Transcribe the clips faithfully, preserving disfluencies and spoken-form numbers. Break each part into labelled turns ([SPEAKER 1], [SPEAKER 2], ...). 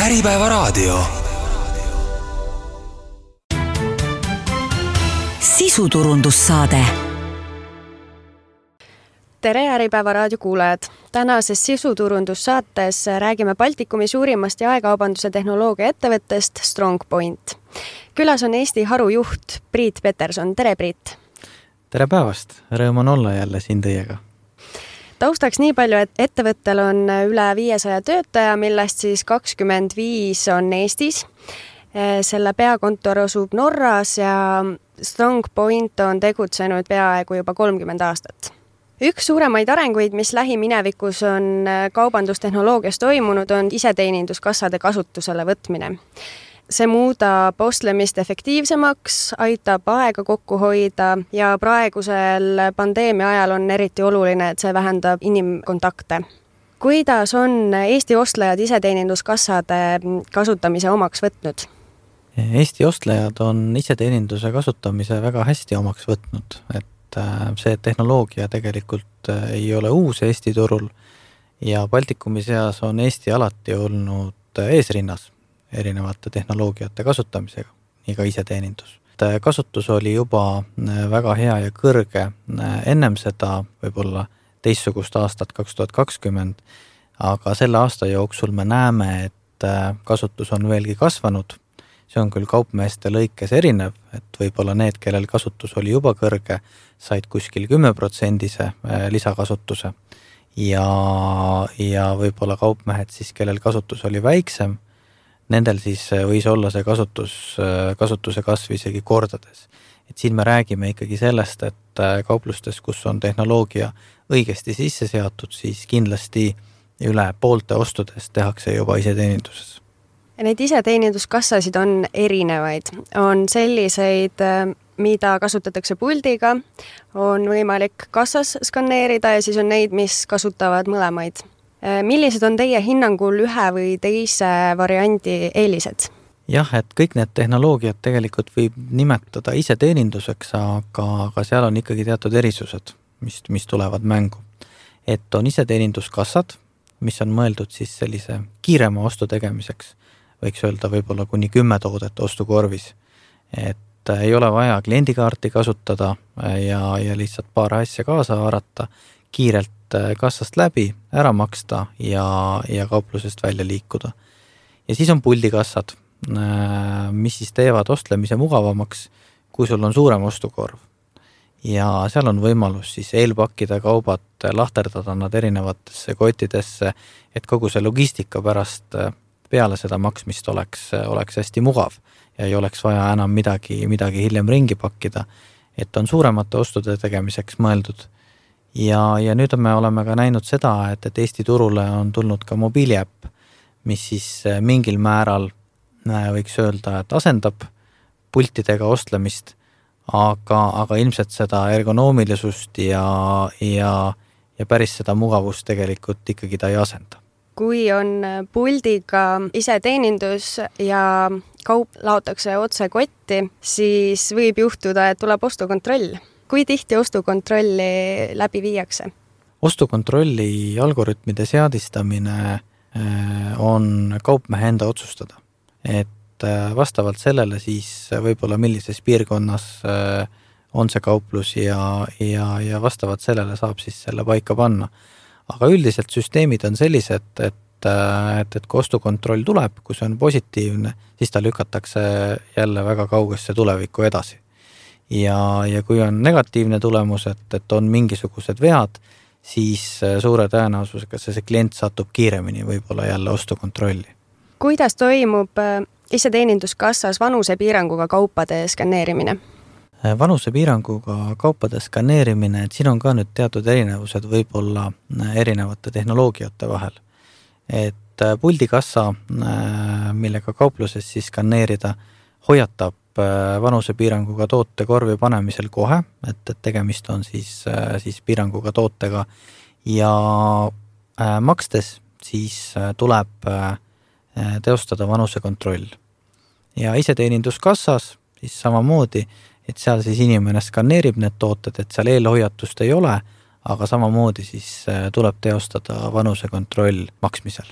[SPEAKER 1] Äripäevaraadio. Sisuturundussaade.
[SPEAKER 2] Tere Äripäevaraadio kuulajad! Tänases sisuturundussaates räägime Baltikumi suurimast jaekaubanduse tehnoloogia ettevõttest StrongPoint. Külas on Eesti harujuht Priit Peterson. Tere Priit!
[SPEAKER 3] Tere päevast! Rõõm on olla jälle siin teiega.
[SPEAKER 2] Taustaks nii palju, et ettevõttel on üle viiesaja töötaja, millest siis kakskümmend viis on Eestis. Selle peakontor asub Norras ja StrongPoint on tegutsenud peaaegu juba kolmkümmend aastat. Üks suuremaid arenguid, mis lähiminevikus on kaubandustehnoloogias toimunud, on iseteeninduskassade kasutusele võtmine. See muudab ostlemist efektiivsemaks, aitab aega kokku hoida ja praegusel pandeemia ajal on eriti oluline, et see vähendab inimkontakte. Kuidas on Eesti ostlejad iseteeninduskassade kasutamise omaks võtnud?
[SPEAKER 3] Eesti ostlejad on iseteeninduse kasutamise väga hästi omaks võtnud, et see tehnoloogia tegelikult ei ole uus Eesti turul ja Baltikumi seas on Eesti alati olnud eesrinnas erinevate tehnoloogiate kasutamisega, nii ka iseteenindus. Kasutus oli juba väga hea ja kõrge ennem seda, võib-olla teistsugust aastat kaks tuhat kakskümmend, aga selle aasta jooksul me näeme, et kasutus on veelgi kasvanud. See on küll kaupmeeste lõikes erinev, et võib-olla need, kellel kasutus oli juba kõrge, said kuskil kümme protsendise lisakasutuse ja, ja võib-olla kaupmehed siis, kellel kasutus oli väiksem, nendel siis võis olla see kasutus, kasutuse kasv isegi kordades. Et siin me räägime ikkagi sellest, et kauplustes, kus on tehnoloogia õigesti sisse seatud, siis kindlasti üle poolte ostudest tehakse juba iseteeninduses.
[SPEAKER 2] Neid iseteeninduskassasid on erinevaid. On selliseid, mida kasutatakse puldiga, on võimalik kassas skanneerida ja siis on neid, mis kasutavad mõlemaid. Millised on teie hinnangul ühe või teise variandi eelised?
[SPEAKER 3] Jah, et kõik need tehnoloogiad tegelikult võib nimetada iseteeninduseks, aga, aga seal on ikkagi teatud erisused, mis, mis tulevad mängu. Et on iseteeninduskassad, mis on mõeldud siis sellise kiirema ostu tegemiseks, võiks öelda võib-olla kuni kümme toodet ostukorvis. Et ei ole vaja kliendikaarti kasutada ja, ja lihtsalt paar asja kaasa haarata, kiirelt kassast läbi, ära maksta ja, ja kauplusest välja liikuda. Ja siis on puldikassad, mis siis teevad ostlemise mugavamaks, kui sul on suurem ostukorv. Ja seal on võimalus siis eelpakkida kaubad, lahterdada nad erinevatesse kottidesse, et kogu see logistika pärast peale seda maksmist oleks, oleks hästi mugav ja ei oleks vaja enam midagi, midagi hiljem ringi pakkida, et on suuremate ostude tegemiseks mõeldud. Ja, ja nüüd me oleme ka näinud seda, et, et Eesti turule on tulnud ka mobiiliäpp, mis siis mingil määral võiks öelda, et asendab pultidega ostlemist, aga, aga ilmselt seda ergonoomilisust ja, ja, ja päris seda mugavust tegelikult ikkagi ta ei asenda.
[SPEAKER 2] Kui on puldiga iseteenindus ja kaup laotakse otse kotti, siis võib juhtuda, et tuleb ostukontroll. Kui tihti ostukontrolli läbi viiakse?
[SPEAKER 3] Ostukontrolli algoritmide seadistamine on kaupmehe enda otsustada. Et vastavalt sellele siis võib-olla millises piirkonnas on see kauplus ja, ja, ja vastavalt sellele saab siis selle paika panna. Aga üldiselt süsteemid on sellised, et, et, et kui ostukontroll tuleb, kui see on positiivne, siis ta lükatakse jälle väga kaugesse tulevikku edasi. Ja, ja kui on negatiivne tulemus, et, et on mingisugused vead, siis suure tõenäosusega see, see klient satub kiiremini võib-olla jälle ostukontrolli.
[SPEAKER 2] Kuidas toimub iseteeninduskassas vanusepiiranguga kaupade skanneerimine?
[SPEAKER 3] Vanusepiiranguga kaupade skanneerimine, et siin on ka nüüd teatud erinevused võib-olla erinevate tehnoloogiate vahel. Et puldikassa, millega kaupluses siis skanneerida, hoiatab vanusepiiranguga toote korvi panemisel kohe, et, et tegemist on siis, siis piiranguga tootega ja makstes siis tuleb teostada vanusekontroll. Ja iseteeninduskassas siis samamoodi, et seal siis inimene skanneerib need tooted, et seal eelhoiatust ei ole, aga samamoodi siis tuleb teostada vanusekontroll maksmisel.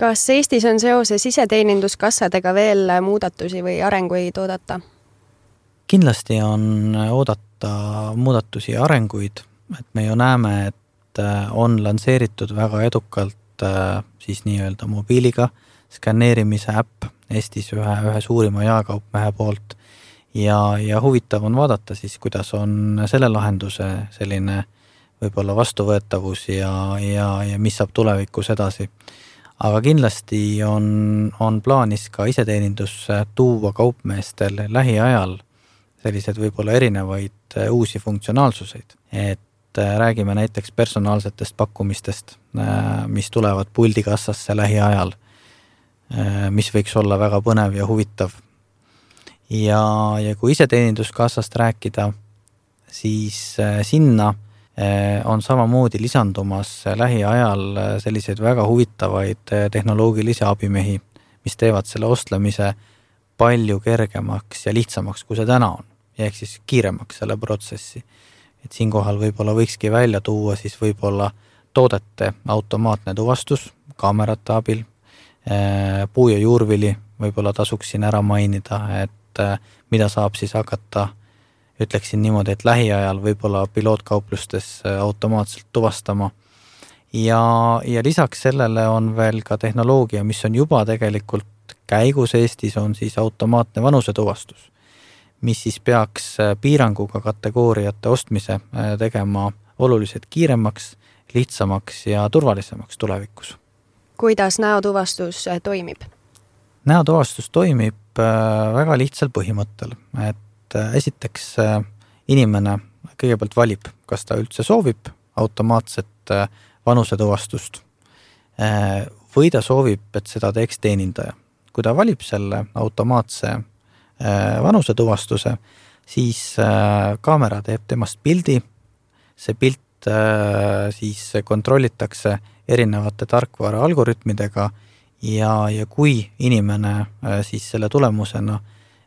[SPEAKER 2] Kas Eestis on seoses iseteeninduskassadega veel muudatusi või arenguid oodata?
[SPEAKER 3] Kindlasti on oodata muudatusi ja arenguid, et me ju näeme, et on lansseeritud väga edukalt siis nii-öelda mobiiliga skanneerimise äpp Eestis ühe, ühe suurima jaekaupmehe poolt ja, ja huvitav on vaadata siis, kuidas on selle lahenduse selline võib-olla vastuvõetavus ja, ja, ja mis saab tulevikus edasi. Aga kindlasti on, on plaanis ka iseteenindusse tuua kaupmeestel lähiajal sellised võib-olla erinevaid uusi funktsionaalsuseid. Et räägime näiteks personaalsetest pakkumistest, mis tulevad puldikassasse lähiajal, mis võiks olla väga põnev ja huvitav. Ja, ja kui iseteeninduskassast rääkida, siis sinna on samamoodi lisandumas lähiajal selliseid väga huvitavaid tehnoloogilisi abimehi, mis teevad selle ostlemise palju kergemaks ja lihtsamaks, kui see täna on, ja ehk siis kiiremaks selle protsessi. Et siinkohal võib-olla võikski välja tuua siis võib-olla toodete automaatne tuvastus kaamerate abil, puu- ja juurvili võib-olla tasuks siin ära mainida, et mida saab siis hakata ütleksin niimoodi, et lähiajal võib-olla pilootkauplustes automaatselt tuvastama. Ja, ja lisaks sellele on veel ka tehnoloogia, mis on juba tegelikult käigus Eestis, on siis automaatne vanusetuvastus, mis siis peaks piiranguga kategooriate ostmise tegema oluliselt kiiremaks, lihtsamaks ja turvalisemaks tulevikus.
[SPEAKER 2] Kuidas näotuvastus toimib?
[SPEAKER 3] Näotuvastus toimib väga lihtsal põhimõttel, et esiteks inimene kõigepealt valib, kas ta üldse soovib automaatset vanusetuvastust või ta soovib, et seda teeks teenindaja. Kui ta valib selle automaatse vanusetuvastuse, siis kaamera teeb temast pildi, see pilt siis kontrollitakse erinevate tarkvara algoritmidega ja, ja kui inimene siis selle tulemusena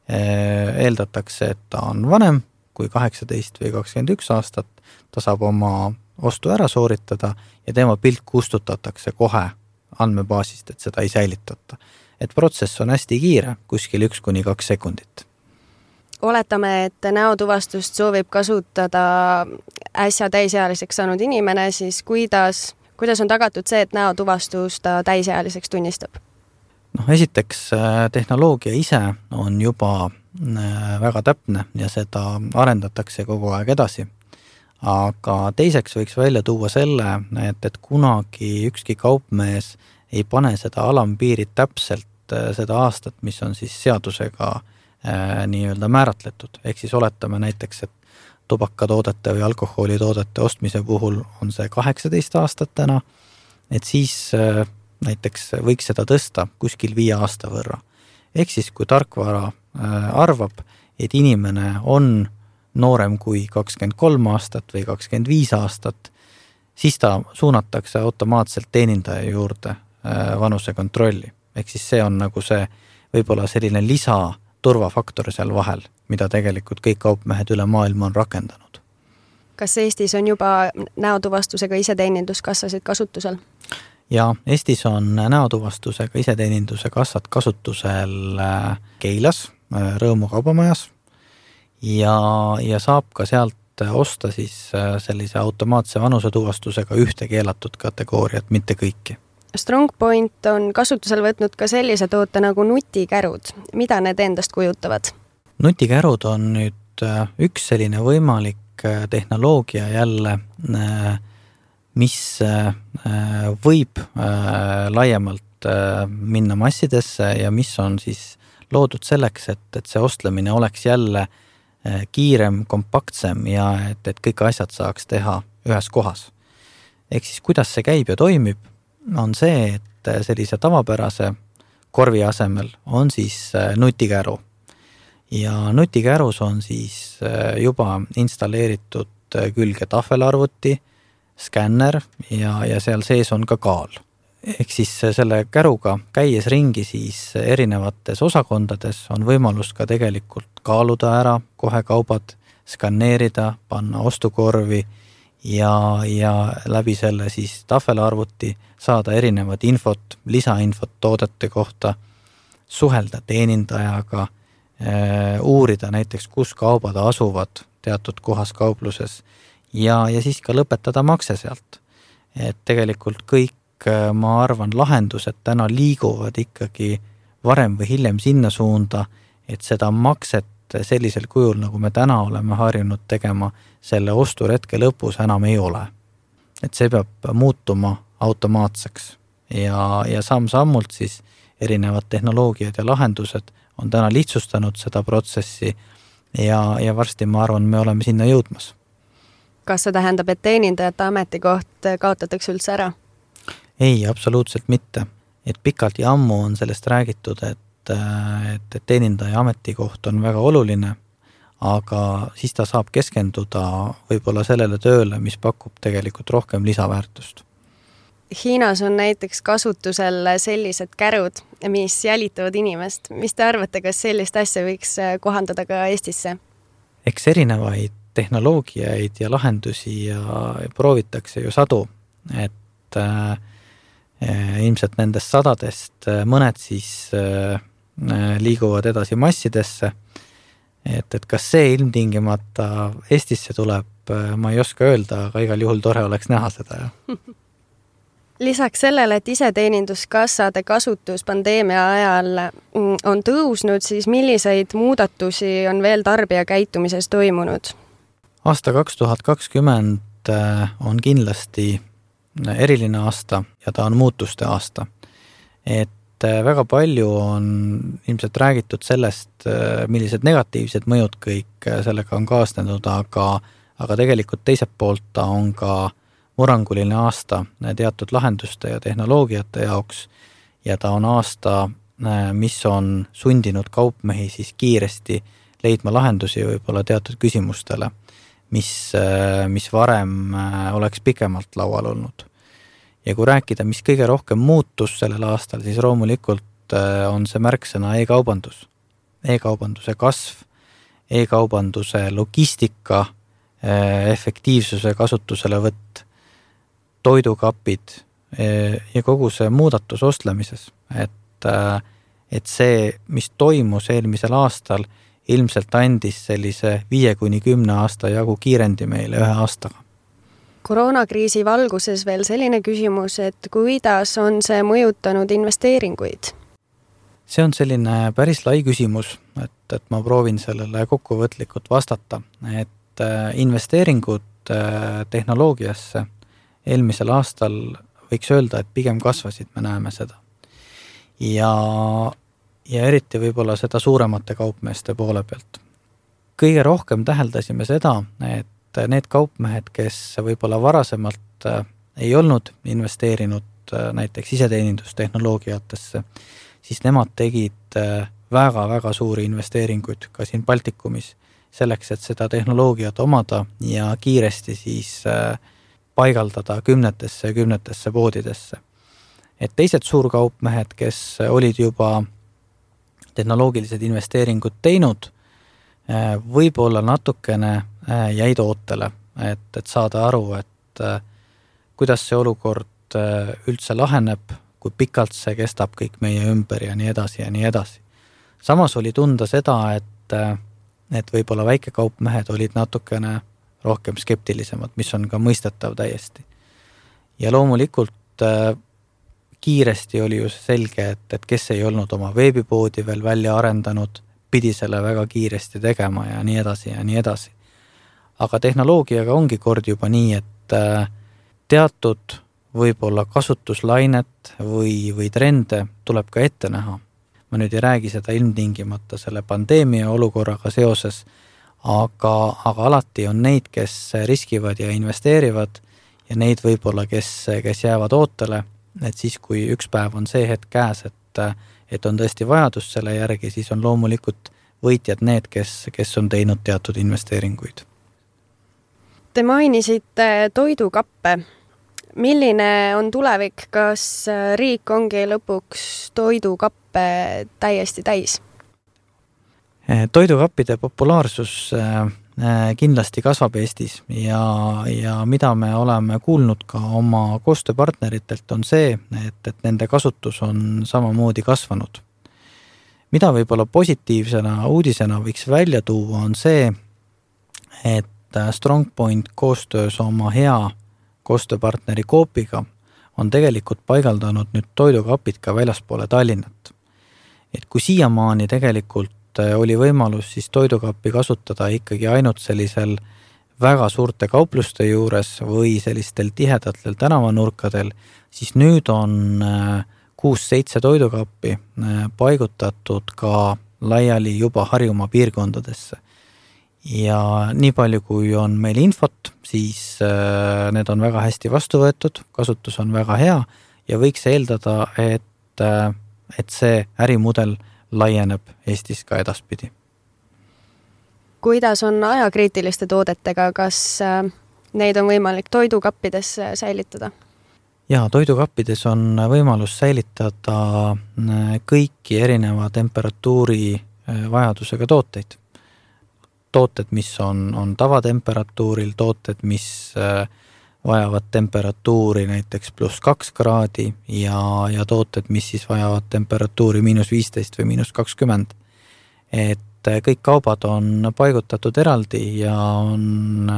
[SPEAKER 3] eeldatakse, et ta on vanem kui kaheksateist või kakskümmend üks aastat, ta saab oma ostu ära sooritada ja tema pilt kustutatakse kohe andmebaasist, et seda ei säilitata. Et protsess on hästi kiire, kuskil üks kuni kaks sekundit.
[SPEAKER 2] Oletame, et näotuvastust soovib kasutada äsja täisealiseks saanud inimene, siis kuidas, kuidas on tagatud see, et näotuvastus ta täisealiseks tunnistab?
[SPEAKER 3] No, esiteks tehnoloogia ise on juba väga täpne ja seda arendatakse kogu aeg edasi. Aga teiseks võiks välja tuua selle, et, et kunagi ükski kaupmees ei pane seda alampiirit täpselt seda aastat, mis on siis seadusega nii-öelda määratletud. Ehk siis oletame näiteks, et tubakatoodete või alkoholitoodete ostmise puhul on see kaheksateist aastat täna, et siis näiteks võiks seda tõsta kuskil viie aasta võrra. Ehk siis, kui tarkvara arvab, et inimene on noorem kui kakskümmend kolm aastat või kakskümmend viis aastat, siis ta suunatakse automaatselt teenindaja juurde vanusekontrolli. Ehk siis see on nagu see võib-olla selline lisa turvafaktor seal vahel, mida tegelikult kõik kaupmehed üle maailma on rakendanud.
[SPEAKER 2] Kas Eestis on juba näotuvastusega iseteeninduskassasid kasutusel?
[SPEAKER 3] Ja Eestis on näotuvastusega iseteeninduse kassad kasutusel Keilas, Rõõmu kaubamajas ja, ja saab ka sealt osta siis sellise automaatse vanusetuvastusega ühte keelatud kategooriat, mitte kõiki.
[SPEAKER 2] StrongPoint on kasutusel võtnud ka sellise toote nagu nutikärud. Mida need endast kujutavad?
[SPEAKER 3] Nutikärud on nüüd üks selline võimalik tehnoloogia jälle, mis võib laiemalt minna massidesse ja mis on siis loodud selleks, et, et see ostlemine oleks jälle kiirem, kompaktsem ja et, et kõik asjad saaks teha ühes kohas. Ehk siis kuidas see käib ja toimib, on see, et sellise tavapärase korvi asemel on siis nutikäru. Ja nutikärus on siis juba installeeritud külge tahvelarvuti, skänner ja, ja seal sees on ka kaal. Ehk siis selle käruga käies ringi siis erinevates osakondades on võimalus ka tegelikult kaaluda ära kohe kaubad, skanneerida, panna ostukorvi ja, ja läbi selle siis tahvelarvuti saada erinevat infot, lisainfot toodete kohta, suhelda teenindajaga, uurida näiteks, kus kaubad asuvad teatud kohas kaupluses ja, ja siis ka lõpetada makse sealt. Et tegelikult kõik, ma arvan, lahendused täna liiguvad ikkagi varem või hiljem sinna suunda, et seda makset sellisel kujul, nagu me täna oleme harjunud tegema, selle osturetke lõpus enam ei ole. Et see peab muutuma automaatseks ja, ja samm-sammult siis erinevad tehnoloogiad ja lahendused on täna lihtsustanud seda protsessi ja, ja varsti ma arvan, me oleme sinna jõudmas.
[SPEAKER 2] Kas see tähendab, et teenindajate ametikoht kaotatakse üldse ära?
[SPEAKER 3] Ei, absoluutselt mitte. Et pikalt ja ammu on sellest räägitud, et, et, et teenindaja ametikoht on väga oluline, aga siis ta saab keskenduda võib-olla sellele tööle, mis pakub tegelikult rohkem lisaväärtust.
[SPEAKER 2] Hiinas on näiteks kasutusel sellised kärud, mis jälitavad inimest. Mis te arvate, kas sellist asja võiks kohandada ka Eestisse?
[SPEAKER 3] Eks erinevaid tehnoloogiaid ja lahendusi ja proovitakse ju sadu, et äh, ilmselt nendest sadadest mõned siis äh, liiguvad edasi massidesse, et, et kas see ilmtingimata Eestisse tuleb, ma ei oska öelda, aga igal juhul tore oleks näha seda. Ja.
[SPEAKER 2] Lisaks sellele, et iseteeninduskassade kasutus pandeemia ajal on tõusnud, siis milliseid muudatusi on veel tarbija käitumises toimunud?
[SPEAKER 3] Aasta kaks tuhat kakskümmend on kindlasti eriline aasta ja ta on muutuste aasta. Et väga palju on ilmselt räägitud sellest, millised negatiivsed mõjud kõik sellega on kaasnenud, aga, aga tegelikult teiselt poolt ta on ka muranguline aasta teatud lahenduste ja tehnoloogiate jaoks ja ta on aasta, mis on sundinud kaupmehi siis kiiresti leidma lahendusi võib-olla teatud küsimustele, mis, mis varem oleks pikemalt laual olnud. Ja kui rääkida, mis kõige rohkem muutus sellel aastal, siis loomulikult on see märksõna e-kaubandus. E-kaubanduse kasv, e-kaubanduse logistika, efektiivsuse kasutusele võtt, toidukapid ja kogu see muudatus ostlemises, et, et see, mis toimus eelmisel aastal, ilmselt andis sellise viie kuni kümne aasta jagu kiirendi meile ühe aastaga.
[SPEAKER 2] Koroonakriisi valguses veel selline küsimus, et kuidas on see mõjutanud investeeringuid?
[SPEAKER 3] See on selline päris lai küsimus, et, et ma proovin sellele kokkuvõtlikult vastata, et investeeringud tehnoloogiasse eelmisel aastal võiks öelda, et pigem kasvasid, me näeme seda. Ja, ja eriti võib-olla seda suuremate kaupmeeste poole pealt. Kõige rohkem täheldasime seda, et need kaupmehed, kes võib-olla varasemalt ei olnud investeerinud näiteks iseteenindustehnoloogiatesse, siis nemad tegid väga-väga suuri investeeringuid ka siin Baltikumis selleks, et seda tehnoloogiat omada ja kiiresti siis paigaldada kümnetesse ja kümnetesse poodidesse. Et teised suurkaupmehed, kes olid juba tehnoloogilised investeeringud teinud, võib-olla natukene jäid ootele, et, et saada aru, et kuidas see olukord üldse laheneb, kui pikalt see kestab kõik meie ümber ja nii edasi ja nii edasi. Samas oli tunda seda, et, et võib-olla väikekaupmehed olid natukene rohkem skeptilisemad, mis on ka mõistetav täiesti. Ja loomulikult äh, kiiresti oli ju selge, et, et kes ei olnud oma veebipoodi veel välja arendanud, pidi selle väga kiiresti tegema ja nii edasi ja nii edasi. Aga tehnoloogiaga ongi kord juba nii, et äh, teatud võib-olla kasutuslainet või, või trende tuleb ka ette näha. Ma nüüd ei räägi seda ilmtingimata selle pandeemia olukorraga seoses, Aga, aga alati on neid, kes riskivad ja investeerivad ja neid võib-olla, kes, kes jäävad ootele, et siis kui üks päev on see hetk käes, et, et on tõesti vajadus selle järgi, siis on loomulikult võitjad need, kes, kes on teinud teatud investeeringuid.
[SPEAKER 2] Te mainisite toidukappe. Milline on tulevik, kas riik ongi lõpuks toidukappe täiesti täis?
[SPEAKER 3] Toidukappide populaarsus kindlasti kasvab Eestis ja, ja mida me oleme kuulnud ka oma koostööpartneritelt on see, et, et nende kasutus on samamoodi kasvanud. Mida võib-olla positiivsena uudisena võiks välja tuua on see, et StrongPoint koostöös oma hea koostööpartneri Coopiga on tegelikult paigaldanud nüüd toidukapid ka väljaspoole Tallinnat. Et kui siiamaani tegelikult oli võimalus siis toidukappi kasutada ikkagi ainult sellisel väga suurte kaupluste juures või sellistel tihedatel tänavanurkadel, siis nüüd on kuus-seitse toidukappi paigutatud ka laiali juba Harjumaa piirkondadesse. Ja nii palju, kui on meil infot, siis need on väga hästi vastu võetud, kasutus on väga hea ja võiks eeldada, et, et see ärimudel laieneb Eestis ka edaspidi.
[SPEAKER 2] Kuidas on ajakriitiliste toodetega, kas neid on võimalik toidukappides säilitada?
[SPEAKER 3] Jaa, toidukappides on võimalus säilitada kõiki erineva temperatuuri vajadusega tooteid. Tooted, mis on, on tavatemperatuuril, tooted, mis vajavad temperatuuri näiteks pluss kaks kraadi ja, ja tooted, mis siis vajavad temperatuuri miinus viisteist või miinus kakskümmend. Et kõik kaubad on paigutatud eraldi ja on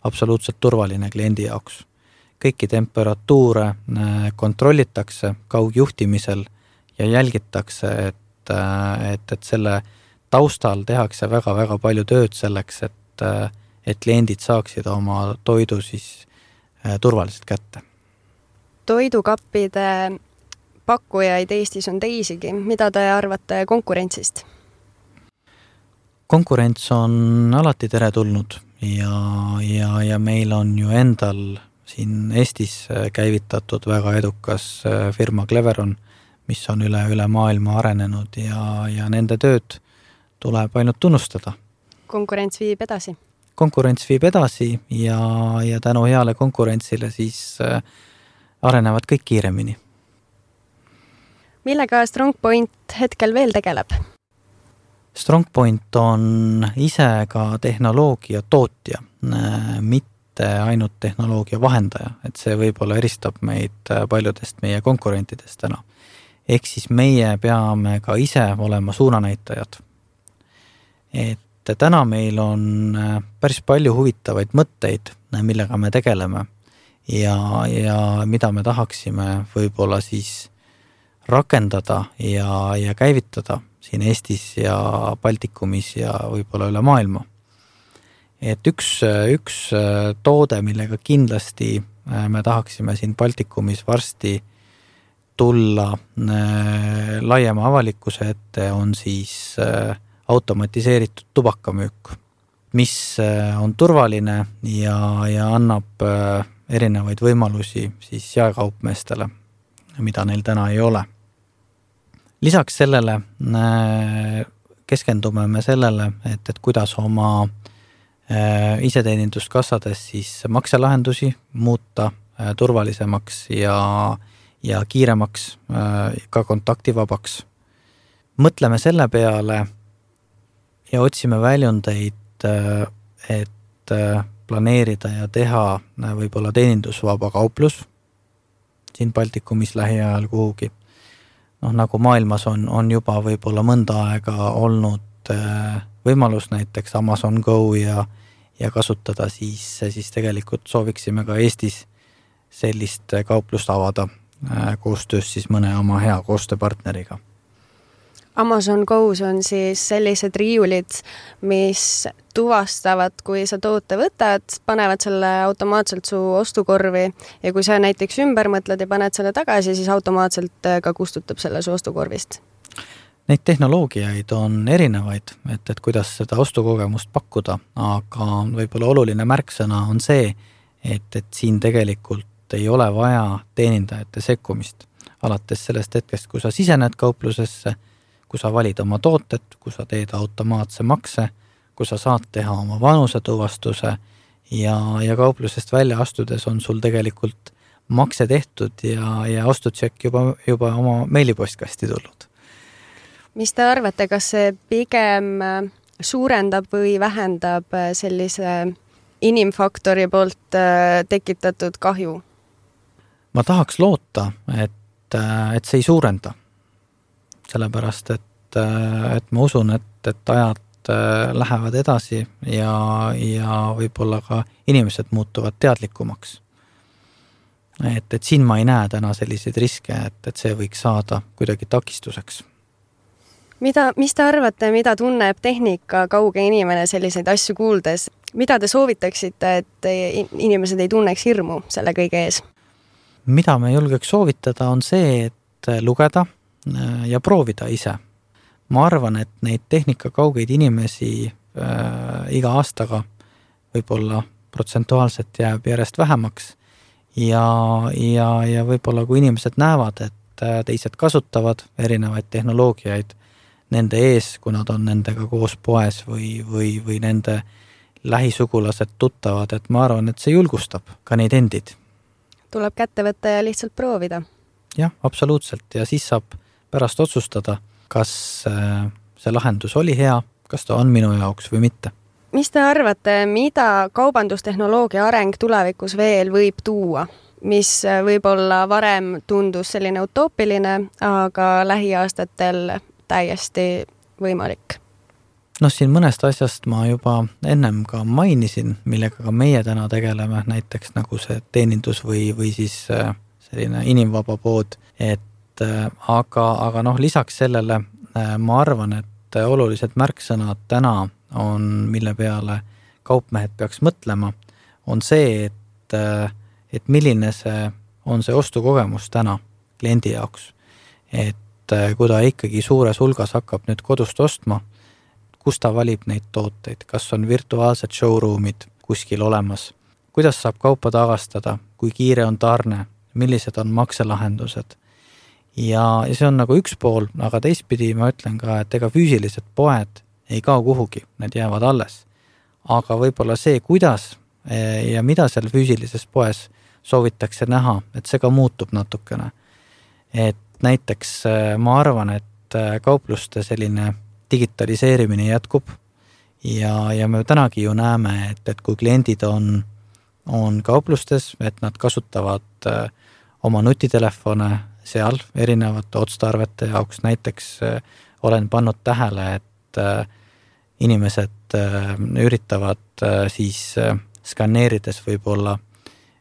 [SPEAKER 3] absoluutselt turvaline kliendi jaoks. Kõiki temperatuure kontrollitakse kaugjuhtimisel ja jälgitakse, et, et, et selle taustal tehakse väga-väga palju tööd selleks, et, et kliendid saaksid oma toidu siis turvaliselt kätte.
[SPEAKER 2] Toidukappide pakkujaid Eestis on teisigi. Mida te arvate konkurentsist?
[SPEAKER 3] Konkurents on alati teretulnud ja, ja, ja meil on ju endal siin Eestis käivitatud väga edukas firma Cleveron, mis on üle, üle maailma arenenud ja, ja nende tööd tuleb ainult tunnustada.
[SPEAKER 2] Konkurents viib edasi?
[SPEAKER 3] Konkurents viib edasi ja, ja tänu heale konkurentsile siis arenevad kõik kiiremini.
[SPEAKER 2] Millega StrongPoint hetkel veel tegeleb?
[SPEAKER 3] StrongPoint on ise ka tehnoloogia tootja, mitte ainult tehnoloogia vahendaja, et see võib-olla eristab meid paljudest meie konkurentidest täna. Ehk siis meie peame ka ise olema suunanäitajad. Et täna meil on päris palju huvitavaid mõtteid, millega me tegeleme ja, ja mida me tahaksime võib-olla siis rakendada ja, ja käivitada siin Eestis ja Baltikumis ja võib-olla üle maailma. Et üks, üks toode, millega kindlasti me tahaksime siin Baltikumis varsti tulla laiema avalikkuse ette, on siis automatiseeritud tubakamüük, mis on turvaline ja, ja annab erinevaid võimalusi siis jaekaupmeestele, mida neil täna ei ole. Lisaks sellele keskendume me sellele, et, et kuidas oma iseteeninduskassades siis makselahendusi muuta turvalisemaks ja, ja kiiremaks, ka kontaktivabaks. Mõtleme selle peale ja otsime väljundeid, et planeerida ja teha võib-olla teenindusvaba kauplus siin Baltikumis lähiajal kuhugi. Noh, nagu maailmas on, on juba võib-olla mõnda aega olnud võimalus näiteks Amazon Go ja, ja kasutada, siis, siis tegelikult sooviksime ka Eestis sellist kauplust avada koostöös siis mõne oma hea koostööpartneriga.
[SPEAKER 2] Amazon Go's on siis sellised riiulid, mis tuvastavad, kui sa toote võtad, panevad selle automaatselt su ostukorvi ja kui sa näiteks ümber mõtled ja paned selle tagasi, siis automaatselt ka kustutab selle su ostukorvist.
[SPEAKER 3] Neid tehnoloogiaid on erinevaid, et, et kuidas seda ostukogemust pakkuda, aga võib-olla oluline märksõna on see, et, et siin tegelikult ei ole vaja teenindajate sekkumist. Alates sellest hetkest, kui sa sisened kauplusesse, kui sa valid oma tooted, kui sa teed automaatse makse, kui sa saad teha oma vanuse tuvastuse ja, ja kauplusest välja astudes on sul tegelikult makse tehtud ja, ja ostutšekk juba, juba oma meilipostkasti tulnud.
[SPEAKER 2] Mis te arvate, kas see pigem suurendab või vähendab sellise inimfaktori poolt tekitatud kahju?
[SPEAKER 3] Ma tahaks loota, et, et see ei suurenda. Sellepärast, et, et ma usun, et, et ajad lähevad edasi ja, ja võib-olla ka inimesed muutuvad teadlikumaks. Et, et siin ma ei näe täna selliseid riske, et, et see võiks saada kuidagi takistuseks.
[SPEAKER 2] Mida, mis te arvate, mida tunneb tehnika kauge inimene selliseid asju kuuldes? Mida te soovitaksite, et inimesed ei tunneks hirmu selle kõige ees?
[SPEAKER 3] Mida me julgeks soovitada on see, et lugeda ja proovida ise. Ma arvan, et neid tehnika kaugeid inimesi äh, iga aastaga võib-olla protsentuaalselt jääb järjest vähemaks ja, ja, ja võib-olla kui inimesed näevad, et teised kasutavad erinevaid tehnoloogiaid nende ees, kui nad on nendega koos poes või, või, või nende lähisugulased tuttavad, et ma arvan, et see julgustab ka neid endid.
[SPEAKER 2] Tuleb kätte võtta ja lihtsalt proovida.
[SPEAKER 3] Jah, absoluutselt. Ja siis saab pärast otsustada, kas see lahendus oli hea, kas ta on minu jaoks või mitte.
[SPEAKER 2] Mis te arvate, mida kaubandustehnoloogia areng tulevikus veel võib tuua? Mis võib-olla varem tundus selline utoopiline, aga lähiaastatel täiesti võimalik?
[SPEAKER 3] No siin mõnest asjast ma juba ennem ka mainisin, millega ka meie täna tegeleme, näiteks nagu see teenindus või, või siis selline inimvaba pood, et aga, aga noh, lisaks sellele ma arvan, et olulised märksõnad täna on, mille peale kaupmehed peaks mõtlema, on see, et, et milline see on see ostukogemus täna kliendi jaoks. Et kui ta ikkagi suures hulgas hakkab nüüd kodust ostma, kus ta valib neid tooteid, kas on virtuaalsed showroomid kuskil olemas, kuidas saab kaupa tagastada, kui kiire on tarne, millised on makselahendused. Ja, ja see on nagu üks pool, aga teistpidi ma ütlen ka, et ega füüsilised poed ei kao kuhugi, need jäävad alles. Aga võib-olla see, kuidas ja mida seal füüsilises poes soovitakse näha, et see ka muutub natukene. Et näiteks ma arvan, et kaupluste selline digitaliseerimine jätkub ja, ja me tänagi ju näeme, et, et kui kliendid on, on kauplustes, et nad kasutavad oma nutitelefone seal erinevate otstarvete jaoks, näiteks olen pannud tähele, et inimesed üritavad siis skanneerides võib-olla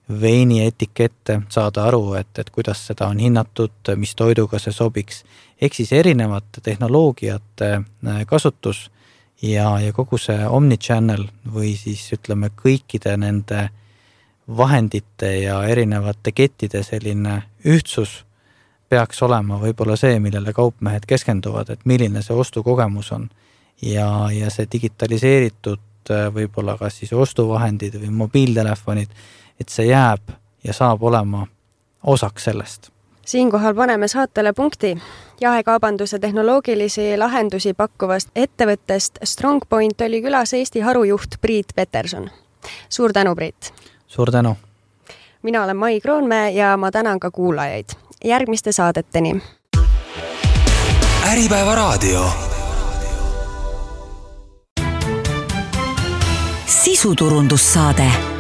[SPEAKER 3] veini etikette saada aru, et, et kuidas seda on hinnatud, mis toiduga see sobiks. Ehk siis erinevate tehnoloogiate kasutus ja, ja kogu see omnichannel või siis ütleme kõikide nende vahendite ja erinevate kettide selline ühtsus peaks olema võib-olla see, millele kaupmehed keskenduvad, et milline see ostukogemus on. Ja, ja see digitaliseeritud võib-olla ka siis ostuvahendid või mobiiltelefonid, et see jääb ja saab olema osaks sellest.
[SPEAKER 2] Siinkohal paneme saatele punkti. Jaekaubanduse tehnoloogilisi lahendusi pakkuvast ettevõttest StrongPoint oli külas Eesti harujuht Priit Peterson. Suur tänu, Priit!
[SPEAKER 3] Suur tänu!
[SPEAKER 2] Mina olen Mai Kroonmäe ja ma tänan ka kuulajaid. Järgmiste saadeteni.
[SPEAKER 1] Äripäeva raadio. Sisuturundussaade.